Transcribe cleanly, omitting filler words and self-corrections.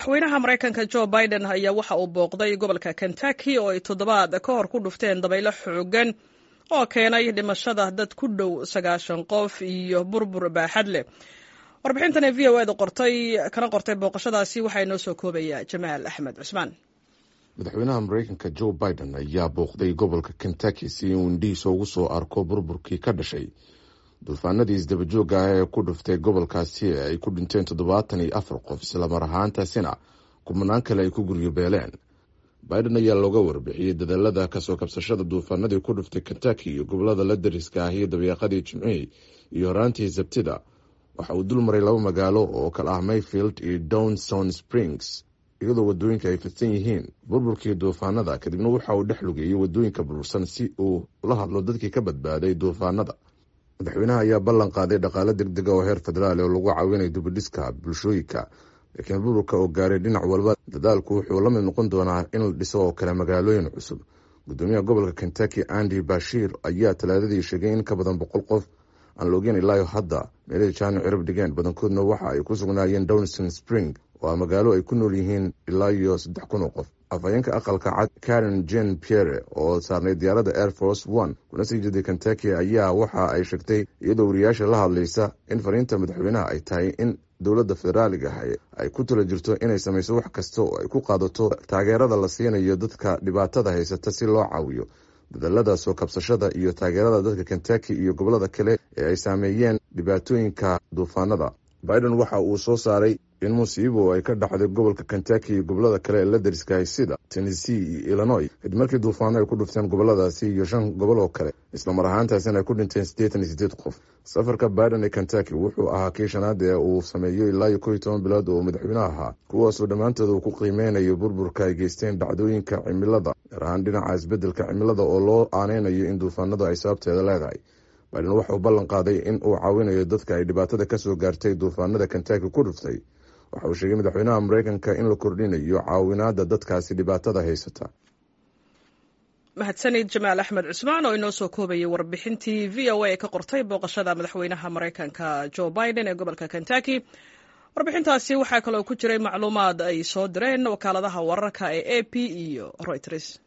Madaxweynaha Maraykanka Joe Biden ayaa waxa uu booqday gobolka Kentucky oo ay toddobaad ka hor ku dhufteen dabaylo xoogan oo keenay dhimashada dad ku dhow 90 qof iyo burbur baaxad leh. Warbixintan ee VOA da qortay kana qortay booqashadaasi waxaa inoo soo koobaya Jamaal Axmed Cusmaan. Madaxweynaha Maraykanka Joe Biden ayaa booqday gobolka Kentucky si uu indhihiisa ugu soo arko burburkii ka dhashay duufaanadii isdabajoogga ah ee ku dhuftay gobolkaasi ee ay ku dhinteen 74 qof, islamar ahaantaasina kumanaan kale ay ku guryo beeleen. Biden ayaa looga warbixiyey dadaalada kasoo kabsashada duufaanadii ku dhuftay Kentucky iyo gobolada la dariska ah iyo dabeeqadii Jimcihii iyo horaantii Sabtida. Waxa uu dul maray laba magaalo oo kala ah Mayfield iyo Downson Springs, iyadoo wadooyinka ay fidsan yihiin burburkii duufaanada. Kadibna waxa uu dhex lugeeyey wadooyinka burbursan si uu ula hadlo dadkii ka badbaaday duufaanada. Madaxweynaha ayaa ballan qaaday dhaqaale degdega oo heer federaal oo lagu caawinayo dibudhiska bulshooyinka, laakiin burburka oo gaaray dhinac walba, dadaalku wuxuu la mid noqon doonaa in la dhiso oo kale magaalooyin cusub. Gudoomiyaha gobolka Kentucky Andy Bashiir ayaa Talaadadii sheegay in ka badan 100 qof aan la ogeyn ilaayo hadda meelihii jaani cirib dhigeen, badankoodna waxa ay ku sugnaayeen Downson Spring oo ah magaalo ay ku nool yihiin ilaa iyo 3000 oo qof. Afhayeenka Aqalka Cad Karen Jean Pierre oo saarnay diyaaradda Air Force One kuna sii jeeday Kentucky ayaa waxa ay sheegtay, iyadoo wariyaasha la hadlaysa, in fariinta madaxweynaha ay tahay in dowladda federaaliga ah ay ku tala jirto inay samayso wax kasta oo ay ku qaadato taageerada la siinayo dadka dhibaatada haysata si loo caawiyo dadaalada soo kabsashada iyo taageerada dadka Kentucky iyo gobolada kale ee ay saameeyeen dhibaatooyinka duufaanada. Biden waxa uu soo saaray in musiibo ay ka dhacday gobolka Kentucky iyo gobolada kale ee la dariskahay sida Tennessee iyo Illinois, kadib markii duufaano ay ku dhufteen goboladaasi iyo shan gobol oo kale, islamar ahaantaasina ay ku dhinteen 88 qof. Safarka Biden ee Kentucky wuxuu ahaa kii shanaad ee uu sameeyo ilaa iyo 11 bilood oo madaxweynaha ahaa, kuwaasoo dhammaantood uu ku qiimeynayo burburka ay geysteen dhacdooyinka cimilada, gaar ahaan dhinaca isbeddelka cimilada oo loo aaneynayo in duufaanadu ay sababteeda leedahay. Biden waxauu ballan qaaday in uu caawinayo dadka ay dhibaatada kasoo gaartay duufaanada Kentucky ku dhuftay. Waxa uu sheegay madaxweynaha Maraykanka in la kordhinayo caawinaada dadkaasi dhibaatada haysata. Mahadsanid Jamaal Axmed Cusmaan oo inoo soo koobayay warbixintii VOA ka qortay booqashada madaxweynaha Maraykanka Joe Biden ee gobolka Kentucky. Warbixintaasi waxaa kaloo ku jiray macluumaad ay soo direen wakaaladaha wararka ee AP iyo Reuters.